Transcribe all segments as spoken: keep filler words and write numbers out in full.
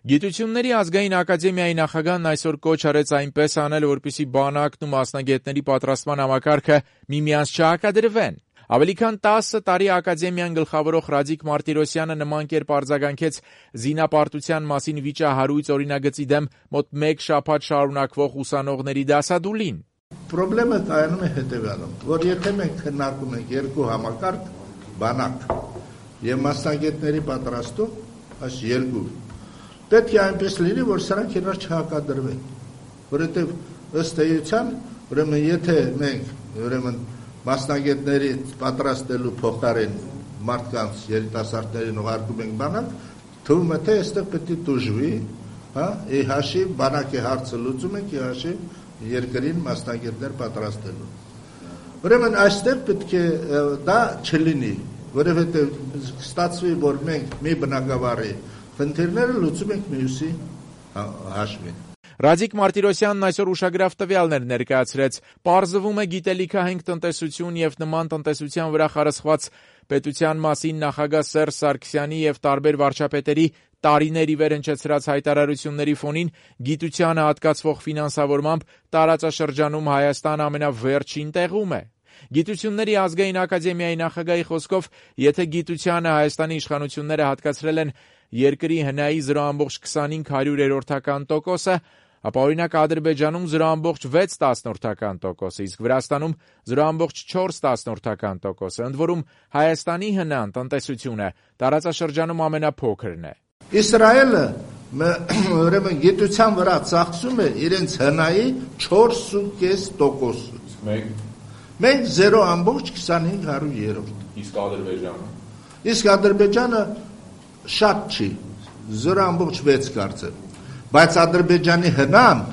Գիտությունների ազգային ակադեմիայի նախագահն այսօր կոչ արեց այնպես անել, որպեսզի բանակն ու մասնագետների պատրաստման համակարգը միմյանց չհակադրվեն։ Ավելի քան տասը տարի ակադեմիան գլխավորող Ռադիկ Մարտիրոսյանը նման կերպ արձագանքեց զինապարտության մասին վիճահարույց օրինագծի դեմ մոտ մեկ շաբաթ շարունակվող ուսանողների դասադուլին։ Պրոբլեմը կայանում է հետևյալում, որ եթե մենք քննարկում ենք երկու համակարգ, բանակ եւ մասնագետների պատրաստում, այս երկու, պետք է այնպես լինի, որ սրանք իրար չհակադրվեն, որովհետեւ ըստ էության, ուրեմն եթե մենք, ուրեմն մասնագետների պատրաստելու փոխարեն մարդկանց երիտասարդներին ուղարկում ենք բանակ, թվում է թե այստեղ պետք է տուժվի, հա, ի հաշիվ բանակի հարցը լուծում ենք, ի հաշիվ երկրին մասնագետներ պատրաստելու։ Ուրեմն այստեղ պետք է դա չլինի, որովհետև ստացվի, որ մենք մի բնակավարի խնդիրները լուծում ենք մյուսի հաշվին։ Ռադիկ Մարտիրոսյանն այսօր ուշագրավ տվյալներ ներկայացրեց։ Պարզվում է գիտելիքահենք տնտեսություն եւ նման տնտեսության վրա խարսխված պետության մասին նախագահ Սերժ Սարգսյանի եւ տարբեր վարչապետերի տարիներ ի վեր հնչեցրած հայտարարությունների ֆոնին գիտությանը հատկացվող ֆինանսավորմամբ տարածաշրջանում Հայաստան ամենավերջին տեղում է։ Գիտությունների ազգային ակադեմիայի նախագահի խոսքով, եթե գիտությանը Հայաստանի իշխանությունները հատկացրել են երկրի հնայի զրո ամբողջ քսանհինգ հարյուրերորդական տոկոսը, ապա օրինակ Ադրբեջանում զրո ամբողջ վեց տասնորդական տոկոսը, իսկ Վրաստանում զրո ամբողջ չորս տասնորդական տոկոսը, ընդ որում Հայաստանի հնան տնտեսությունը տարածաշրջանում ամենափոքրն է։ Իսրայելը ուրեմն գիտության վրա ծախսում է իրենց հնայի չորս կես տոկոսից։ Մենք զերո ամբողջ քսանհինգ հարյուրերորդ։ Իսկ Ադրբեջանը։ Իսկ Ադրբեջանը շատ չի, զերո ամբողջ վեց կարծեմ։ Բայց Ադրբեջանի հնան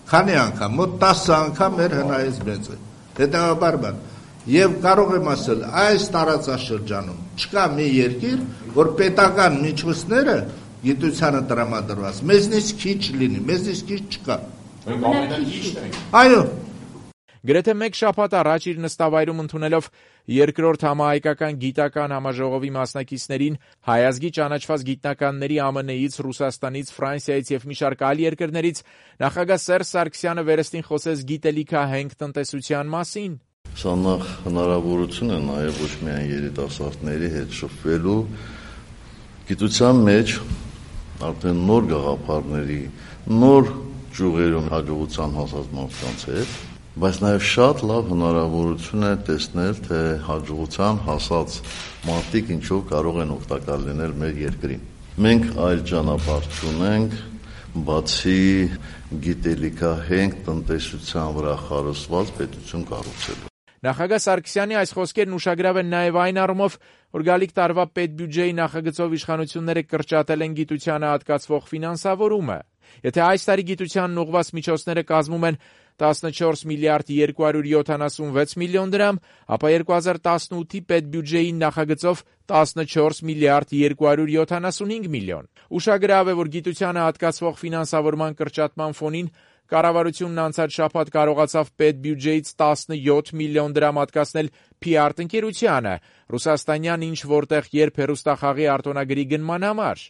քանի անգամ, մոտ տասը անգամ մեր հնայից մեծ է։ Հետևաբար բան, եւ կարող եմ ասել, այս տարածաշրջանում չկա մի երկիր, որ պետական միջոցները գիտությանը տրամադրված, մեզնից քիչ լինի, մեզնից քիչ չկա։ Մենք ամենաքիչն ենք։ Այո։ Գրեթե մեկ շաբաթ առաջ իր նստավայրում ընդունելով երկրորդ համահայկական գիտական համաժողովի մասնակիցներին հայազգի ճանաչված գիտնականների Α Մ Նից, Ռուսաստանից, Ֆրանսիայից եւ մի շարք այլ երկրներից նախագահ Սերժ Սարգսյանը վերստին խոսեց գիտելիքահենք տնտեսության մասին։ Սա նախ հնարավորություն է նաեւ ոչ միայն երիտասարդների հետ շփվելու, գիտության մեջ արդեն նոր գաղափարների, նոր ճյուղերում հաջողության հասած մարդկանց հետ, բայց նաև շատ լավ հնարավորություն է տեսնել, թե հաջողության հասած մարդիկ ինչով կարող են օգտակար լինել մեր երկրին։ Մենք այլ ճանապարհ չունենք, բացի գիտելիքահենք տնտեսության վրա խարսխված պետություն կառուցելու։ Նախագահ Սարգսյանի այս խոսքերն ուշագրավ են նաև այն առումով, որ գալիք տարվա պետբյուջեի նախագծով իշխանությունները կրճատել են գիտությանը հատկացվող ֆինանսավորումը։ Եթե այս տարի գիտությանն ուղղված միջոցները կազմում են տասնչորս միլիարդ երկու հարյուր յոթանասունվեց միլիոն դրամ, ապա երկու հազար տասնութի պետբյուջեի նախագծով տասնչորս միլիարդ երկու հարյուր յոթանասունհինգ միլիոն։ Ուշագրավ է, որ գիտությանը հատկացվող ֆինանսավորման կրճատման ֆոնին կառավարությունն անցած շաբաթ կարողացավ պետբյուջեից տասնյոթ միլիոն դրամ հատկացնել Փի Ար ընկերությանը, ռուսաստանյան ինչ որտեղ երբ հեռուստախաղի արտոնագրի գնման համար։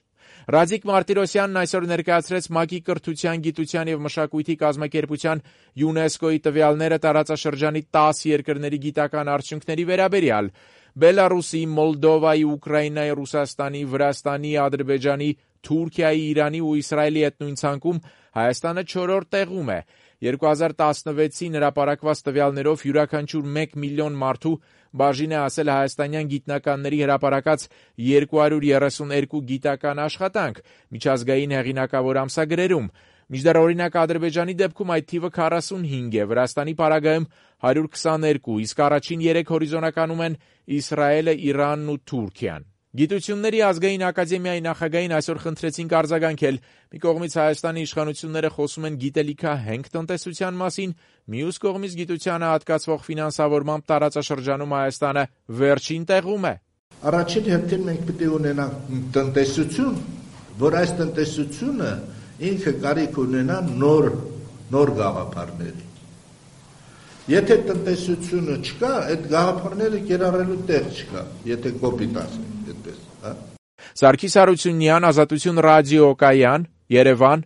Ռադիկ Մարտիրոսյանն այսօր ներկայացրեց ՄԱԿ-ի կրթության, գիտության եւ մշակույթի կազմակերպության ՅՈՒՆԵՍԿՕ-ի տվյալները տարածաշրջանի տասը երկրների գիտական արդյունքների վերաբերյալ։ Բելարուսի, Մոլդովայի, Ուկրաինայի, Ռուսաստանի, Վրաստանի, Ադրբեջանի, Թուրքիայի, Իրանի ու Իսրայելի հետ նույն ցանկում Հայաստանը չորրորդ տեղում է։ երկու հազար տասնվեցին հրապարակված տվյալներով յուրաքանչյուր մեկ միլիոն մարդու բաժին է ասել հայաստանյան գիտնականների հրապարակած երկու հարյուր երեսուներկու գիտական աշխատանք միջազգային հեղինակավոր ամսագրերում։ Մինչդեռ օրինակ Ադրբեջանի դեպքում այդ թիվը քառասունհինգ է, Վրաստանի պարագայում հարյուր քսաներկու, իսկ առաջին երեք հորիզոնականում են Իսրայելը, Իրանն ու Թուրքիան։ Գիտությունների ազգային ակադեմիայի նախագահին այսօր խնդրեցինք արձագանքել։ Մի կողմից Հայաստանի իշխանությունները խոսում են գիտելիքահենք տնտեսության մասին, մյուս կողմից գիտությանը հատկացվող ֆինանսավորմամբ տարածաշրջանում Հայաստանը վերջին տեղում է։ Առաջին հերթին մենք պետք է ունենանք տնտեսություն, որ այս տնտեսությունը ինքը կարիք ունենա նոր նոր գաղափարների։ Եթե տնտեսությունը չկա, այդ գաղափարները կիրառելու տեղ չկա, եթե կոպիտ ասենք այդպես, հա։ Սարգիս Հարությունյան, Ազատություն ռադիոկայան, Երևան,